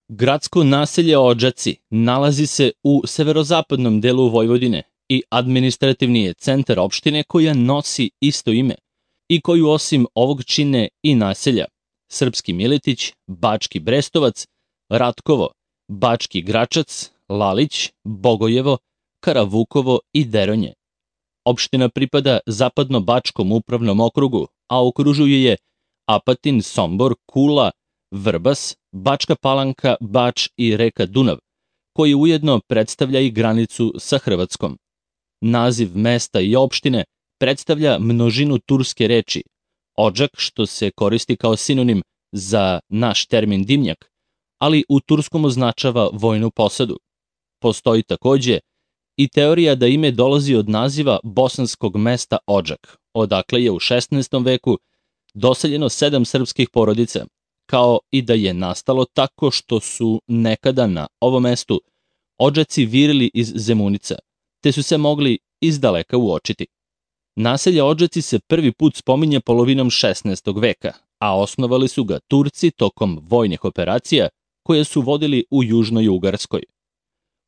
Gradsko naselje Odžaci nalazi se u severozapadnom delu Vojvodine i administrativni je centar opštine koja nosi isto ime i koju osim ovog čine i naselja Srpski Miletić, Bački Brestovac, Ratkovo, Bački Gračac, Lalić, Bogojevo, Karavukovo i Deronje. Opština pripada Zapadno-Bačkom upravnom okrugu, a okružuje je Apatin, Sombor, Kula, Vrbas, Bačka Palanka, Bač i reka Dunav, koji ujedno predstavlja i granicu sa Hrvatskom. Naziv mesta i opštine predstavlja množinu turske reči Odžak, što se koristi kao sinonim za naš termin dimnjak, ali u turskom označava vojnu posadu. Postoji takođe i teorija da ime dolazi od naziva bosanskog mesta Odžak, odakle je u 16. veku doseljeno 7 srpskih porodica, kao i da je nastalo tako što su nekada na ovom mestu Odžaci virili iz Zemunica, te su se mogli izdaleka uočiti. Naselje Odžaci se prvi put spominje polovinom 16. veka, a osnovali su ga Turci tokom vojnih operacija koje su vodili u Južnoj Ugarskoj.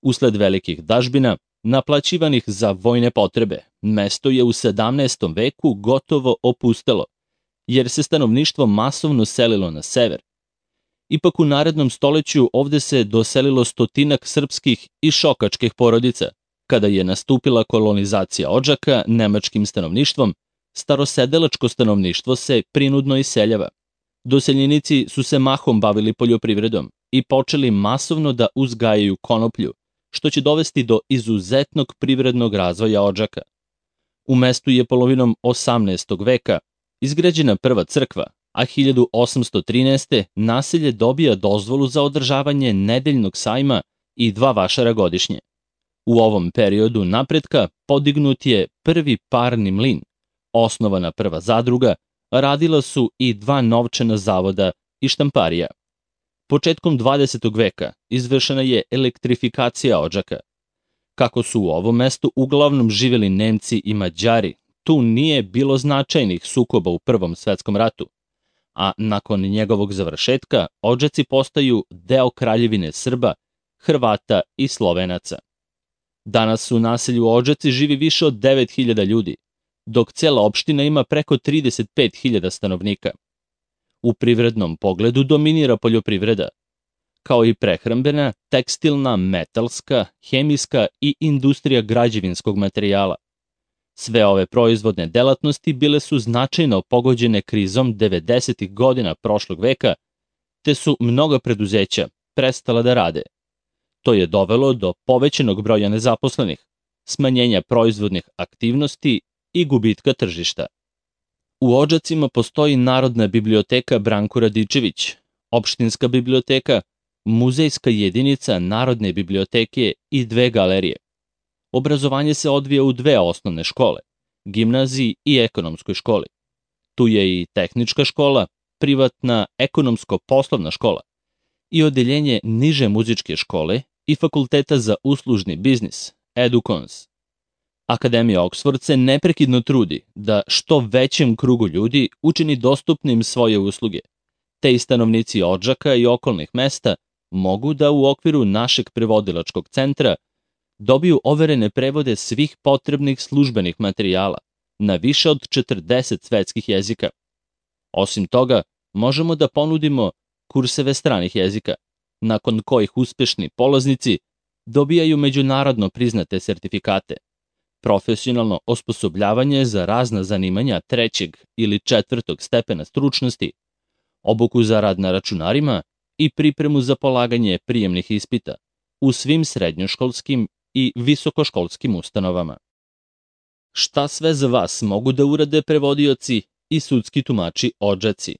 Usled velikih dažbina, naplaćivanih za vojne potrebe, mesto je u 17. veku gotovo opustelo, jer se stanovništvo masovno selilo na sever. Ipak u narednom stoleću ovde se doselilo stotinak srpskih i šokačkih porodica. Kada je nastupila kolonizacija Odžaka nemačkim stanovništvom, starosedelačko stanovništvo se prinudno iseljava. Doseljenici su se mahom bavili poljoprivredom i počeli masovno da uzgajaju konoplju, što će dovesti do izuzetnog privrednog razvoja Odžaka. U mestu je polovinom 18. veka izgrađena prva crkva, a 1813. naselje dobija dozvolu za održavanje nedeljnog sajma i 2 vašara godišnje. U ovom periodu napretka podignut je prvi parni mlin, osnovana prva zadruga, radila su i 2 novčana zavoda i štamparija. Početkom 20. veka izvršena je elektrifikacija Odžaka. Kako su u ovom mestu uglavnom živeli Nemci i Mađari, tu nije bilo značajnih sukoba u Prvom svetskom ratu, a nakon njegovog završetka Odžaci postaju deo kraljevine Srba, Hrvata i Slovenaca. Danas u naselju Odžaci živi više od 9.000 ljudi, dok cela opština ima preko 35.000 stanovnika. U privrednom pogledu dominira poljoprivreda, kao i prehrambena, tekstilna, metalska, hemijska i industrija građevinskog materijala. Sve ove proizvodne delatnosti bile su značajno pogođene krizom 90. godina prošlog veka, te su mnoga preduzeća prestala da rade. To je dovelo do povećanog broja nezaposlenih, smanjenja proizvodnih aktivnosti i gubitka tržišta. U Odžacima postoji Narodna biblioteka Branko Radičević, opštinska biblioteka, muzejska jedinica Narodne biblioteke i 2 galerije. Obrazovanje se odvija u 2 osnovne škole, gimnaziji i ekonomskoj školi. Tu je i tehnička škola, privatna ekonomsko-poslovna škola i odeljenje niže muzičke škole i fakulteta za uslužni biznis, Edukons. Akademija Oksford se neprekidno trudi da što većem krugu ljudi učini dostupnim svoje usluge, te i stanovnici Odžaka i okolnih mesta mogu da u okviru našeg prevodilačkog centra dobiju overene prevode svih potrebnih službenih materijala na više od 40 svetskih jezika. Osim toga, možemo da ponudimo kurseve stranih jezika, nakon kojih uspešni polaznici dobijaju međunarodno priznate sertifikate, profesionalno osposobljavanje za razna zanimanja 3. ili 4. stepena stručnosti, obuku za rad na računarima i pripremu za polaganje prijemnih ispita u svim srednjoškolskim i visokoškolskim ustanovama. Šta sve za vas mogu da urade prevodioci i sudski tumači Odžaci?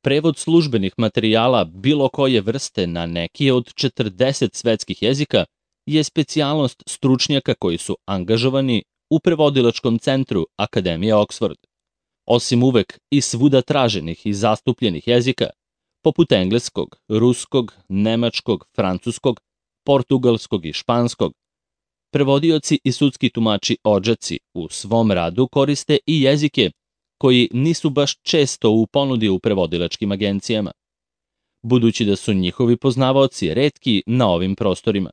Prevod službenih materijala bilo koje vrste na neki od 40 svetskih jezika je specijalnost stručnjaka koji su angažovani u prevodilačkom centru Akademije Oksford. Osim uvek i svuda traženih i zastupljenih jezika, poput engleskog, ruskog, nemačkog, francuskog, portugalskog i španskog, prevodioci i sudski tumači Odžaci u svom radu koriste i jezike koji nisu baš često u ponudi u prevodilačkim agencijama. budući da su njihovi poznavaoci retki na ovim prostorima.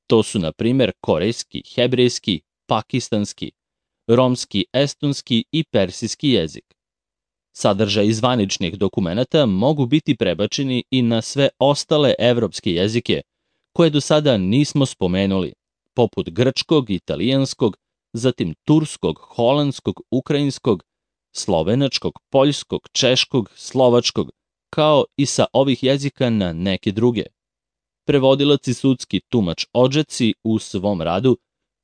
To su, na primjer, korejski, hebrejski, pakistanski, romski, estonski i persijski jezik. Sadržaj zvaničnih dokumenata mogu biti prebačeni i na sve ostale evropske jezike, koje do sada nismo spomenuli, poput grčkog, italijanskog, zatim turskog, holandskog, ukrajinskog, slovenačkog, poljskog, češkog, slovačkog, kao i sa ovih jezika na neke druge. Prevodilac i sudski tumač Odžaci u svom radu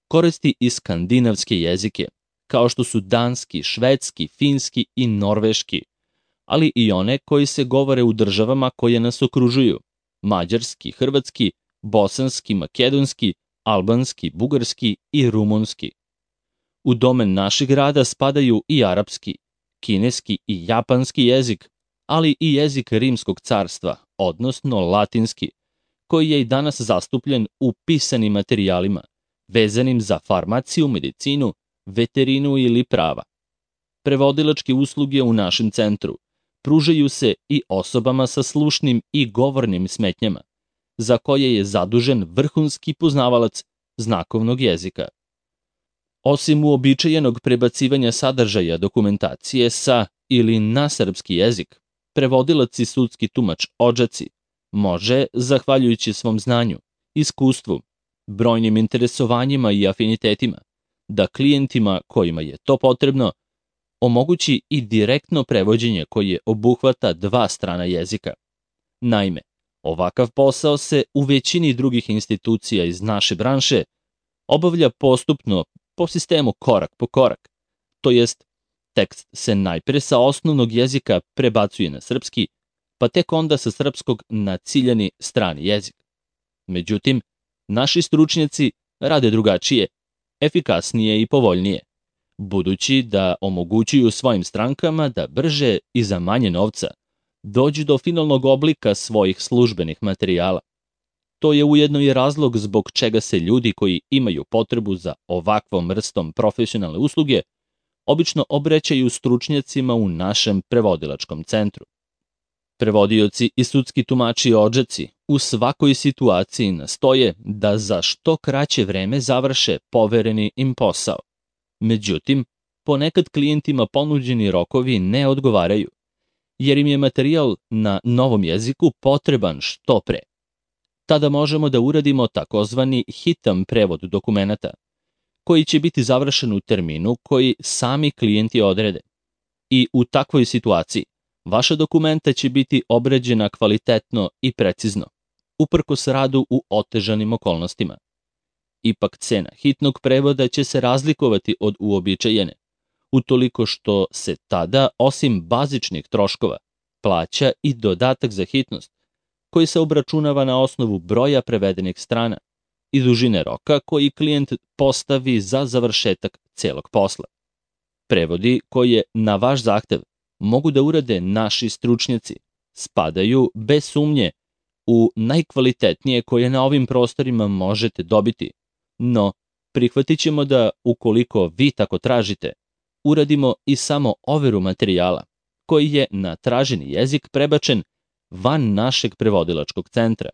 koristi i skandinavske jezike, kao što su danski, švedski, finski i norveški, ali i one koji se govore u državama koje nas okružuju, mađarski, hrvatski, bosanski, makedonski, albanski, bugarski i rumunski. U domen našeg rada spadaju i arapski, kineski i japanski jezik, ali i jezik Rimskog carstva, odnosno latinski, koji je i danas zastupljen u pisanim materijalima, vezanim za farmaciju, medicinu, veterinu ili prava. Prevodilačke usluge u našem centru pružaju se i osobama sa slušnim i govornim smetnjama, za koje je zadužen vrhunski poznavalac znakovnog jezika. Osim uobičajenog prebacivanja sadržaja dokumentacije sa ili na srpski jezik, prevodilac i sudski tumač Odžaci može, zahvaljujući svom znanju, iskustvu, brojnim interesovanjima i afinitetima, da klijentima kojima je to potrebno omogući i direktno prevođenje koje obuhvata dva strana jezika. Naime, ovakav posao se u većini drugih institucija iz naše branše obavlja postupno po sistemu korak po korak, to jest tekst se najpre sa osnovnog jezika prebacuje na srpski, pa tek onda sa srpskog na ciljani strani jezik. Međutim, naši stručnjaci rade drugačije, efikasnije i povoljnije, budući da omogućuju svojim strankama da brže i za manje novca dođu do finalnog oblika svojih službenih materijala. To je ujedno i razlog zbog čega se ljudi koji imaju potrebu za ovakvom vrstom profesionalne usluge obično obraćaju stručnjacima u našem prevodilačkom centru. Prevodioci i sudski tumači Odžaci u svakoj situaciji nastoje da za što kraće vreme završe povereni im posao. Međutim, ponekad klijentima ponuđeni rokovi ne odgovaraju, jer im je materijal na novom jeziku potreban što pre. Tada možemo da uradimo takozvani hitan prevod dokumenata, koji će biti završen u terminu koji sami klijenti odrede. I u takvoj situaciji vaša dokumenta će biti obrađena kvalitetno i precizno, uprkos radu u otežanim okolnostima. Ipak cena hitnog prevoda će se razlikovati od uobičajene, utoliko što se tada, osim bazičnih troškova, plaća i dodatak za hitnost, koji se obračunava na osnovu broja prevedenih strana i dužine roka koji klijent postavi za završetak celog posla. Prevodi koje na vaš zahtev mogu da urade naši stručnjaci spadaju bez sumnje u najkvalitetnije koje na ovim prostorima možete dobiti, no prihvatit ćemo da, ukoliko vi tako tražite, uradimo i samo overu materijala koji je na traženi jezik prebačen van našeg prevodilačkog centra.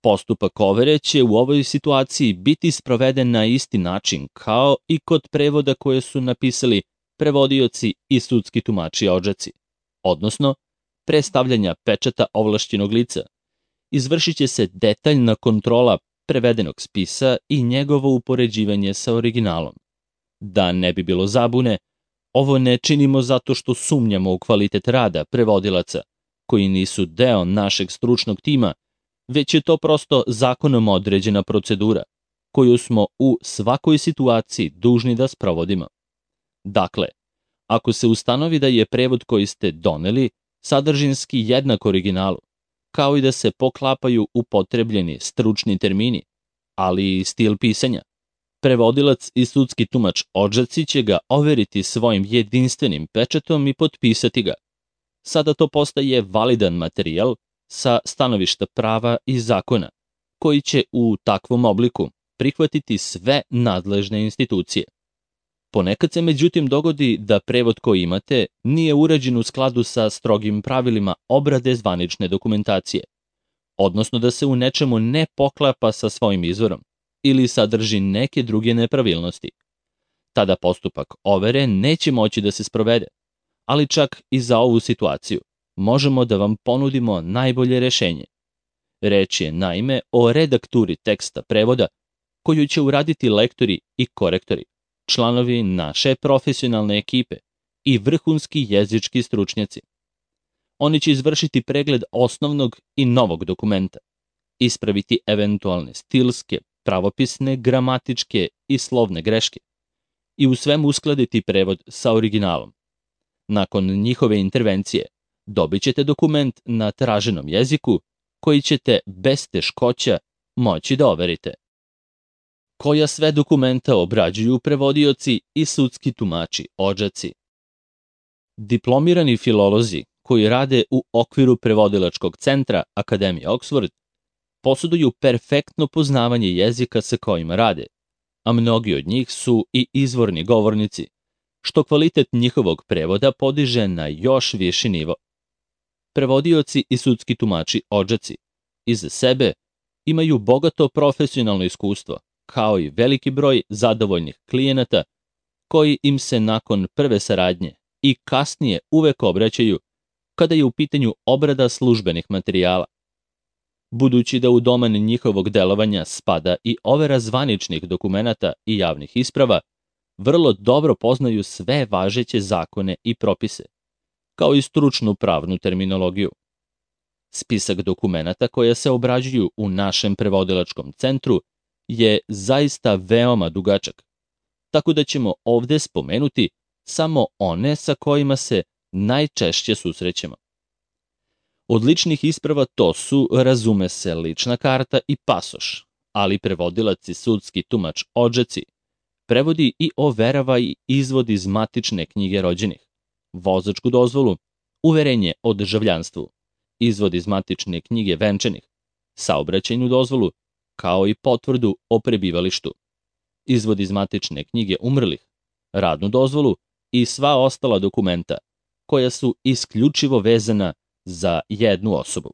Postupak overe će u ovoj situaciji biti sproveden na isti način kao i kod prevoda koje su napisali prevodioci i sudski tumači Odžaci, odnosno pre stavljanja pečata ovlašćenog lica. Izvršit će se detaljna kontrola prevedenog spisa i njegovo upoređivanje sa originalom. Da ne bi bilo zabune, ovo ne činimo zato što sumnjamo u kvalitet rada prevodilaca, koji nisu deo našeg stručnog tima, već je to prosto zakonom određena procedura, koju smo u svakoj situaciji dužni da sprovodimo. Dakle, ako se ustanovi da je prevod koji ste doneli sadržinski jednak originalu, kao i da se poklapaju upotrebljeni stručni termini, ali i stil pisanja, prevodilac i sudski tumač Odžaci će ga overiti svojim jedinstvenim pečatom i potpisati ga. Sada to postaje validan materijal sa stanovišta prava i zakona, koji će u takvom obliku prihvatiti sve nadležne institucije. Ponekad se međutim dogodi da prevod koji imate nije urađen u skladu sa strogim pravilima obrade zvanične dokumentacije, odnosno da se u nečemu ne poklapa sa svojim izvorom ili sadrži neke druge nepravilnosti. Tada postupak overe neće moći da se sprovede, ali čak i za ovu situaciju možemo da vam ponudimo najbolje rešenje. Reč je naime o redakturi teksta prevoda koju će uraditi lektori i korektori, članovi naše profesionalne ekipe i vrhunski jezički stručnjaci. Oni će izvršiti pregled osnovnog i novog dokumenta, ispraviti eventualne stilske, pravopisne, gramatičke i slovne greške i u svemu uskladiti prevod sa originalom. Nakon njihove intervencije dobit ćete dokument na traženom jeziku koji ćete bez teškoća moći da overite. Koja sve dokumenta obrađuju prevodioci i sudski tumači odžaci? Diplomirani filolozi koji rade u okviru prevodilačkog centra Akademije Oxford poseduju perfektno poznavanje jezika sa kojima rade, a mnogi od njih su i izvorni govornici, što kvalitet njihovog prevoda podiže na još viši nivo. Prevodioci i sudski tumači odžaci iza sebe imaju bogato profesionalno iskustvo, kao i veliki broj zadovoljnih klijenata koji im se nakon prve saradnje i kasnije uvek obraćaju kada je u pitanju obrada službenih materijala. Budući da u domen njihovog delovanja spada i overa zvaničnih dokumenata i javnih isprava, vrlo dobro poznaju sve važeće zakone i propise, kao i stručnu pravnu terminologiju. Spisak dokumenata koja se obrađuju u našem prevodilačkom centru je zaista veoma dugačak, tako da ćemo ovde spomenuti samo one sa kojima se najčešće susrećemo. Od ličnih isprava to su, razume se, lična karta i pasoš, ali prevodilac i sudski tumač odžaci prevodi i overava i izvod iz matične knjige rođenih, vozačku dozvolu, uverenje o državljanstvu, izvod iz matične knjige venčanih, saobraćajnu dozvolu, kao i potvrdu o prebivalištu, izvod iz matične knjige umrlih, radnu dozvolu i sva ostala dokumenta koja su isključivo vezana za jednu osobu.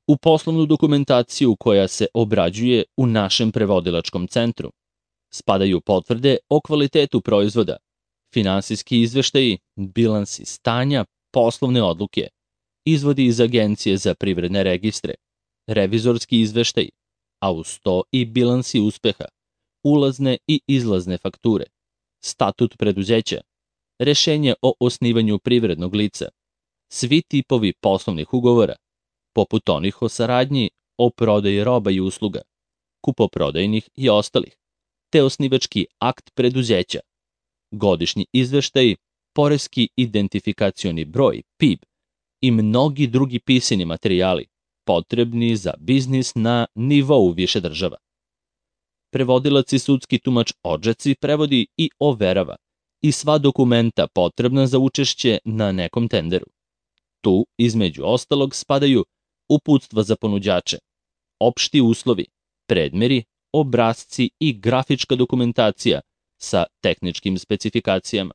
U poslovnu dokumentaciju koja se obrađuje u našem prevodilačkom centru spadaju potvrde o kvalitetu proizvoda, finansijski izveštaji, bilansi stanja, poslovne odluke, izvodi iz Agencije za privredne registre, revizorski izveštaji, a uz to i bilansi uspeha, ulazne i izlazne fakture, statut preduzeća, rešenje o osnivanju privrednog lica, svi tipovi poslovnih ugovora, poput onih o saradnji, o prodaji roba i usluga, kupoprodajnih i ostalih, te osnivački akt preduzeća, godišnji izveštaj, poreski identifikacioni broj, PIB i mnogi drugi pisani materijali potrebni za biznis na nivou više država. Prevodilac i sudski tumač odžaci prevodi i overava i sva dokumenta potrebna za učešće na nekom tenderu. Tu, između ostalog, spadaju uputstva za ponuđače, opšti uslovi, predmeri, obrasci i grafička dokumentacija sa tehničkim specifikacijama.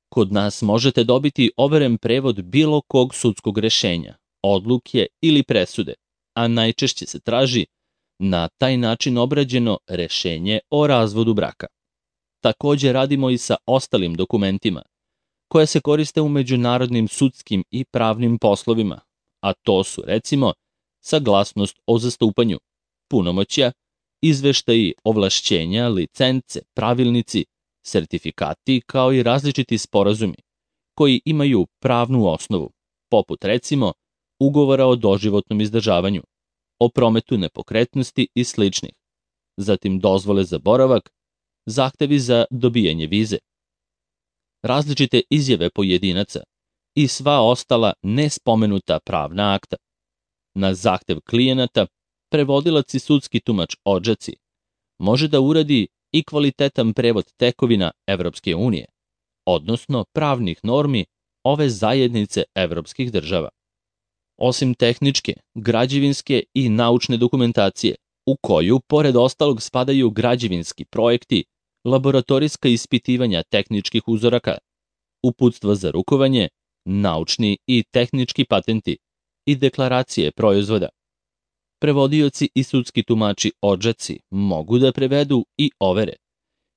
Kod nas možete dobiti overen prevod bilo kog sudskog rešenja, odluke ili presude, a najčešće se traži na taj način obrađeno rešenje o razvodu braka. Takođe radimo i sa ostalim dokumentima koja se koriste u međunarodnim sudskim i pravnim poslovima, a to su, recimo, saglasnost o zastupanju, punomoćja, izveštaji, ovlašćenja, licence, pravilnici, sertifikati, kao i različiti sporazumi koji imaju pravnu osnovu, poput, recimo, ugovora o doživotnom izdržavanju, o prometu nepokretnosti i sličnih, zatim dozvole za boravak, zahtevi za dobijanje vize, različite izjave pojedinaca i sva ostala nespomenuta pravna akta. Na zahtev klijenata, prevodilac i sudski tumač odžaci može da uradi i kvalitetan prevod tekovina Evropske unije, odnosno pravnih normi ove zajednice evropskih država. Osim tehničke, građevinske i naučne dokumentacije, u koju, pored ostalog, spadaju građevinski projekti, laboratorijska ispitivanja tehničkih uzoraka, uputstva za rukovanje, naučni i tehnički patenti i deklaracije proizvoda. Prevodioci i sudski tumači odžaci mogu da prevedu i overe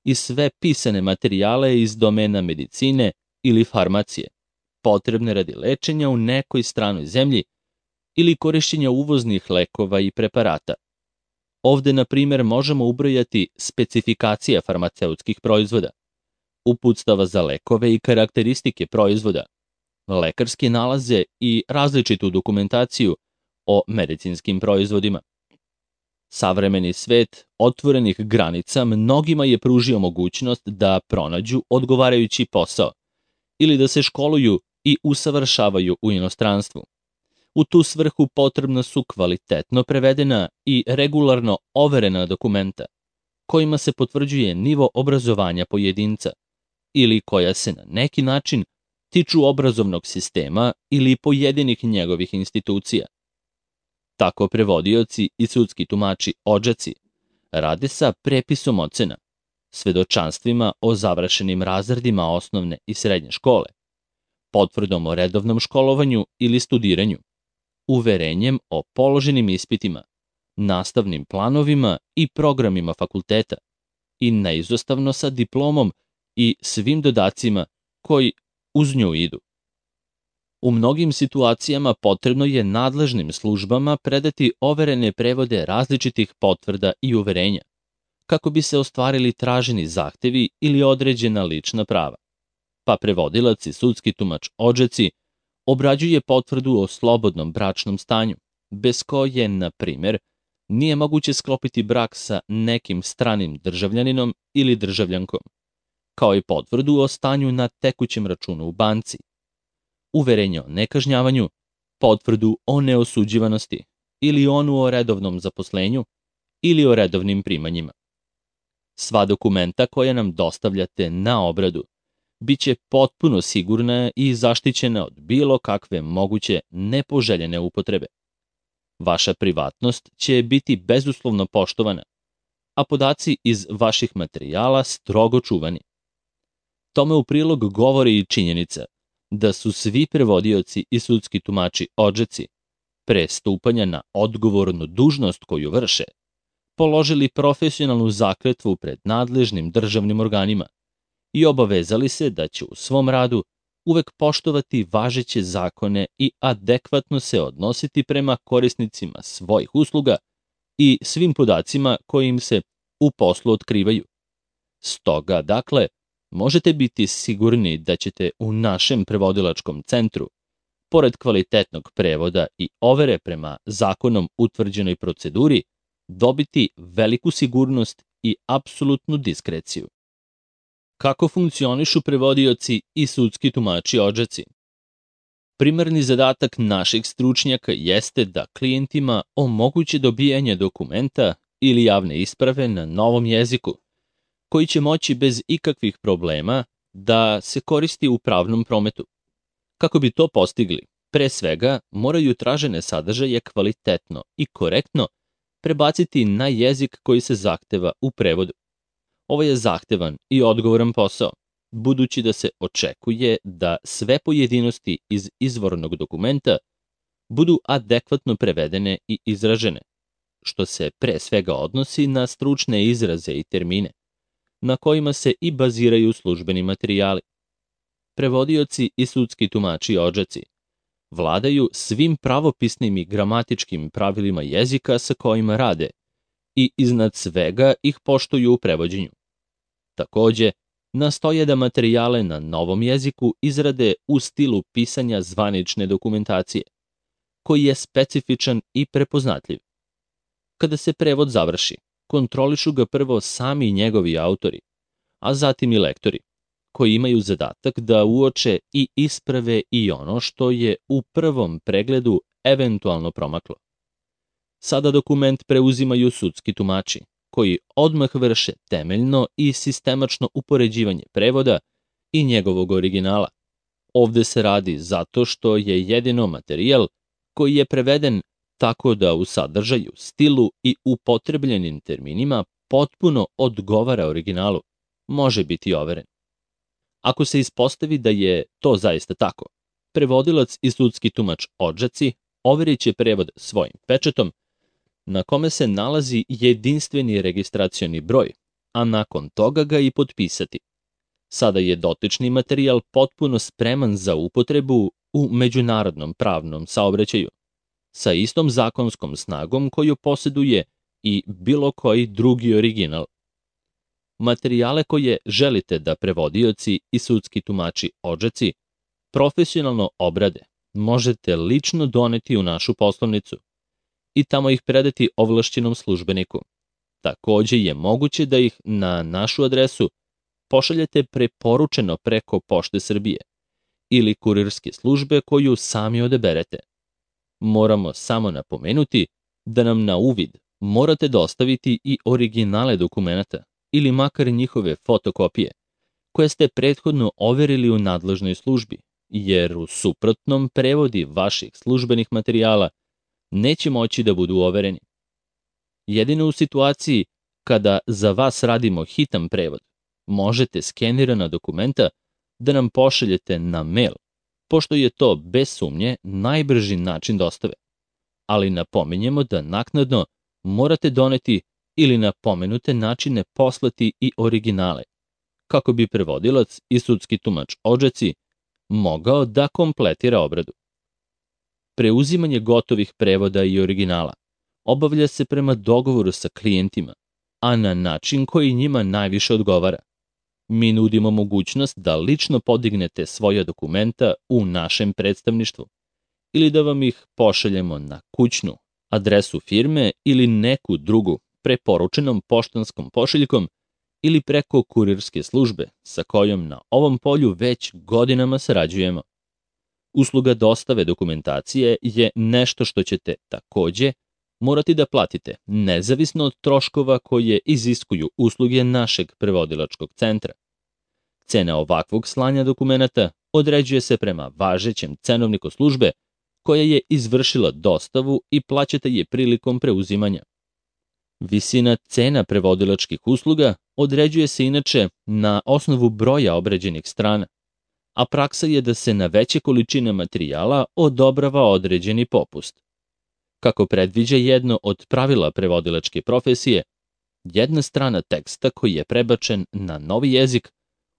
i sve pisane materijale iz domena medicine ili farmacije, potrebne radi lečenja u nekoj stranoj zemlji ili korišćenja uvoznih lekova i preparata. Ovde, na primjer, možemo ubrojati specifikacije farmaceutskih proizvoda, uputstava za lekove i karakteristike proizvoda, lekarske nalaze i različitu dokumentaciju o medicinskim proizvodima. Savremeni svet otvorenih granica mnogima je pružio mogućnost da pronađu odgovarajući posao ili da se školuju i usavršavaju u inostranstvu. U tu svrhu potrebna su kvalitetno prevedena i regularno overena dokumenta, kojima se potvrđuje nivo obrazovanja pojedinca ili koja se na neki način tiču obrazovnog sistema ili pojedinih njegovih institucija. Tako prevodioci i sudski tumači odžaci rade sa prepisom ocena, svedočanstvima o završenim razredima osnovne i srednje škole, potvrdom o redovnom školovanju ili studiranju, uverenjem o položenim ispitima, nastavnim planovima i programima fakulteta i neizostavno sa diplomom i svim dodacima koji uz nju idu. U mnogim situacijama potrebno je nadležnim službama predati overene prevode različitih potvrda i uverenja, kako bi se ostvarili traženi zahtevi ili određena lična prava. Pa prevodilac i sudski tumač odžaci obrađuje potvrdu o slobodnom bračnom stanju, bez koje, na primjer, nije moguće sklopiti brak sa nekim stranim državljaninom ili državljankom, kao i potvrdu o stanju na tekućem računu u banci, uverenje o nekažnjavanju, potvrdu o neosuđivanosti ili onu o redovnom zaposlenju ili o redovnim primanjima. Sva dokumenta koja nam dostavljate na obradu biće potpuno sigurna i zaštićena od bilo kakve moguće nepoželjene upotrebe. Vaša privatnost će biti bezuslovno poštovana, a podaci iz vaših materijala strogo čuvani. Tome u prilog govori i činjenica da su svi prevodioci i sudski tumači odžaci pre stupanja na odgovornu dužnost koju vrše položili profesionalnu zakletvu pred nadležnim državnim organima i obavezali se da će u svom radu uvek poštovati važeće zakone i adekvatno se odnositi prema korisnicima svojih usluga i svim podacima koji im se u poslu otkrivaju. Stoga, dakle, možete biti sigurni da ćete u našem prevodilačkom centru, pored kvalitetnog prevoda i overe prema zakonom utvrđenoj proceduri, dobiti veliku sigurnost i apsolutnu diskreciju. Kako funkcionišu prevodioci i sudski tumači odžaci? Primarni zadatak naših stručnjaka jeste da klijentima omoguće dobijanje dokumenta ili javne isprave na novom jeziku, koji će moći bez ikakvih problema da se koristi u pravnom prometu. Kako bi to postigli, pre svega moraju tražene sadržaje kvalitetno i korektno prebaciti na jezik koji se zahteva u prevodu. Ovo je zahtevan i odgovoran posao, budući da se očekuje da sve pojedinosti iz izvornog dokumenta budu adekvatno prevedene i izražene, što se pre svega odnosi na stručne izraze i termine, na kojima se i baziraju službeni materijali. Prevodioci i sudski tumači odžaci vladaju svim pravopisnim i gramatičkim pravilima jezika sa kojima rade i iznad svega ih poštuju u prevođenju. Takođe, nastoje da materijale na novom jeziku izrade u stilu pisanja zvanične dokumentacije, koji je specifičan i prepoznatljiv. Kada se prevod završi, kontrolišu ga prvo sami njegovi autori, a zatim i lektori, koji imaju zadatak da uoče i isprave i ono što je u prvom pregledu eventualno promaklo. Sada dokument preuzimaju sudski tumači, koji odmah vrše temeljno i sistemačno upoređivanje prevoda i njegovog originala. Ovde se radi zato što je jedino materijal koji je preveden tako da u sadržaju, stilu i upotrebljenim terminima potpuno odgovara originalu. može biti overen. Ako se ispostavi da je to zaista tako, prevodilac i sudski tumač Odžaci overit će prevod svojim pečatom, na kome se nalazi jedinstveni registracioni broj, a nakon toga ga i potpisati. Sada je dotični materijal potpuno spreman za upotrebu u međunarodnom pravnom saobraćaju, sa istom zakonskom snagom koju posjeduje i bilo koji drugi original. Materijale koje želite da prevodioci i sudski tumači Odžaci profesionalno obrade, možete lično doneti u našu poslovnicu i tamo ih predati ovlašćenom službeniku. Takođe je moguće da ih na našu adresu pošaljete preporučeno preko Pošte Srbije ili kurirske službe koju sami odaberete. Moramo samo napomenuti da nam na uvid morate dostaviti i originale dokumenata ili makar njihove fotokopije, koje ste prethodno overili u nadležnoj službi, jer u suprotnom prevodi vaših službenih materijala neće moći da budu overeni. Jedino u situaciji kada za vas radimo hitan prevod, možete skenirana dokumenta da nam pošaljete na mail, pošto je to bez sumnje najbrži način dostave. Ali napominjemo da naknadno morate doneti ili na pomenute načine poslati i originale, kako bi prevodilac i sudski tumač Odžaci mogao da kompletira obradu. Preuzimanje gotovih prevoda i originala obavlja se prema dogovoru sa klijentima, a na način koji njima najviše odgovara. Mi nudimo mogućnost da lično podignete svoja dokumenta u našem predstavništvu ili da vam ih pošaljemo na kućnu adresu firme ili neku drugu preporučenom poštanskom pošiljkom ili preko kurirske službe sa kojom na ovom polju već godinama sarađujemo. Usluga dostave dokumentacije je nešto što ćete takođe morati da platite, nezavisno od troškova koje iziskuju usluge našeg prevodilačkog centra. Cena ovakvog slanja dokumenata određuje se prema važećem cenovniku službe koja je izvršila dostavu i plaćate je prilikom preuzimanja. Visina cena prevodilačkih usluga određuje se inače na osnovu broja obrađenih strana, a praksa je da se na veće količine materijala odobrava određeni popust. Kako predviđa jedno od pravila prevodilačke profesije, jedna strana teksta koji je prebačen na novi jezik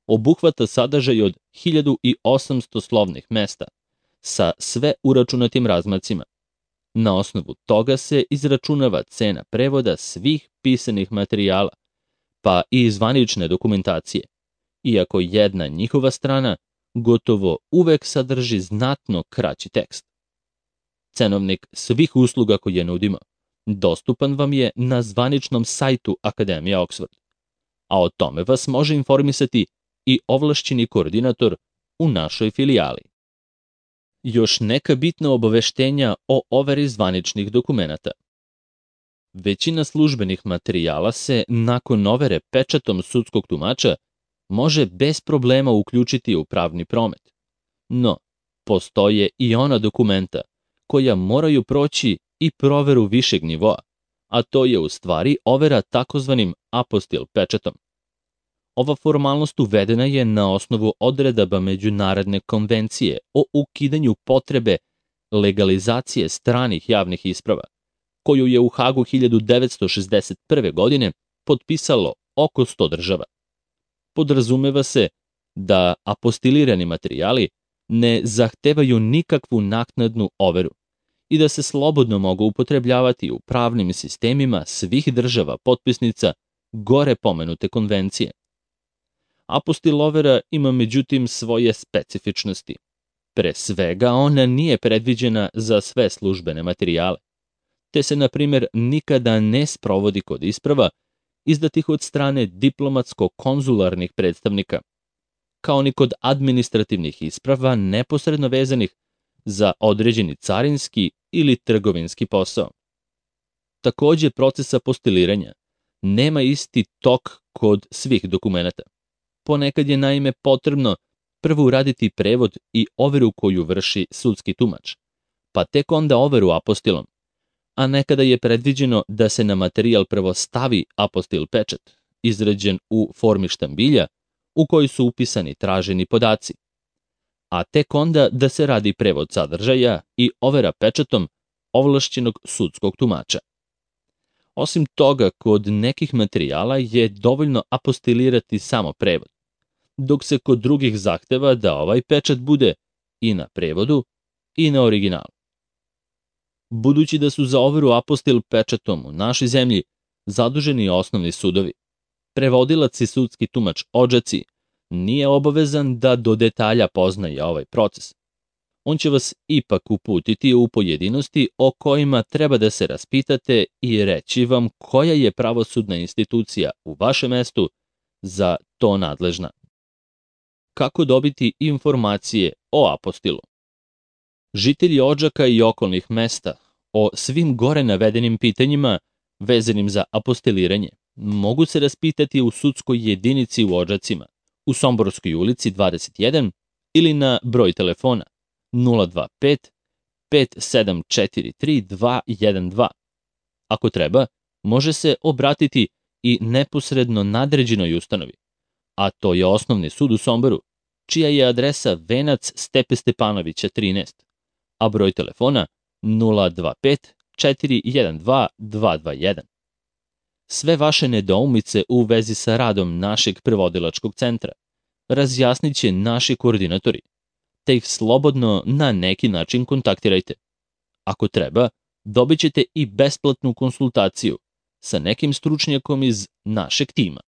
obuhvata sadržaj od 1800 slovnih mesta sa sve uračunatim razmacima. Na osnovu toga se izračunava cena prevoda svih pisanih materijala, pa i zvanične dokumentacije, iako jedna njihova strana gotovo uvek sadrži znatno kraći tekst. Cenovnik svih usluga koje nudimo dostupan vam je na zvaničnom sajtu Akademije Oxford, a o tome vas može informisati i ovlašćeni koordinator u našoj filijali. Još neka bitna obaveštenja o overi zvaničnih dokumenata. Većina službenih materijala se, nakon overe pečatom sudskog tumača, može bez problema uključiti u pravni promet. No, postoje i ona dokumenta koja moraju proći i proveru višeg nivoa, a to je u stvari overa takozvanim apostil pečatom. Ova formalnost uvedena je na osnovu odredaba Međunarodne konvencije o ukidanju potrebe legalizacije stranih javnih isprava, koju je u Hagu 1961. godine potpisalo oko 100 država. Podrazumeva se da apostilirani materijali ne zahtevaju nikakvu naknadnu overu i da se slobodno mogu upotrebljavati u pravnim sistemima svih država potpisnica gore pomenute konvencije. Apostil overa ima međutim svoje specifičnosti. Pre svega, ona nije predviđena za sve službene materijale, te se, na primjer, nikada ne sprovodi kod isprava izdatih od strane diplomatsko-konzularnih predstavnika, kao ni kod administrativnih isprava neposredno vezanih za određeni carinski ili trgovinski posao. Takođe, proces apostiliranja nema isti tok kod svih dokumenata. Ponekad je naime potrebno prvo uraditi prevod i overu koju vrši sudski tumač, pa tek onda overu apostilom, a nekada je predviđeno da se na materijal prvo stavi apostil pečat izrađen u formi štambilja u kojoj su upisani traženi podaci, a tek onda da se radi prevod sadržaja i overa pečatom ovlašćenog sudskog tumača. Osim toga, kod nekih materijala je dovoljno apostilirati samo prevod, dok se kod drugih zahteva da ovaj pečat bude i na prevodu i na originalu. Budući da su za overu apostil pečatom u našoj zemlji zaduženi osnovni sudovi, prevodilac i sudski tumač odžaci nije obavezan da do detalja poznaje ovaj proces. On će vas ipak uputiti u pojedinosti o kojima treba da se raspitate i reći vam koja je pravosudna institucija u vašem mestu za to nadležna. Kako dobiti informacije o apostilu? Žitelji Odžaka i okolnih mesta o svim gore navedenim pitanjima vezanim za apostiliranje mogu se raspitati u sudskoj jedinici u Odžacima, u Somborskoj ulici 21 ili na broj telefona 025 5743 212. Ako treba, može se obratiti i neposredno nadređenoj ustanovi, a to je Osnovni sud u Somboru, čija je adresa Venac Stepe Stepanovića 13, a broj telefona 025 412 221. Sve vaše nedoumice u vezi sa radom našeg prevodilačkog centra razjasnit će naši koordinatori, te ih slobodno na neki način kontaktirajte. Ako treba, dobit ćete i besplatnu konsultaciju sa nekim stručnjakom iz našeg tima.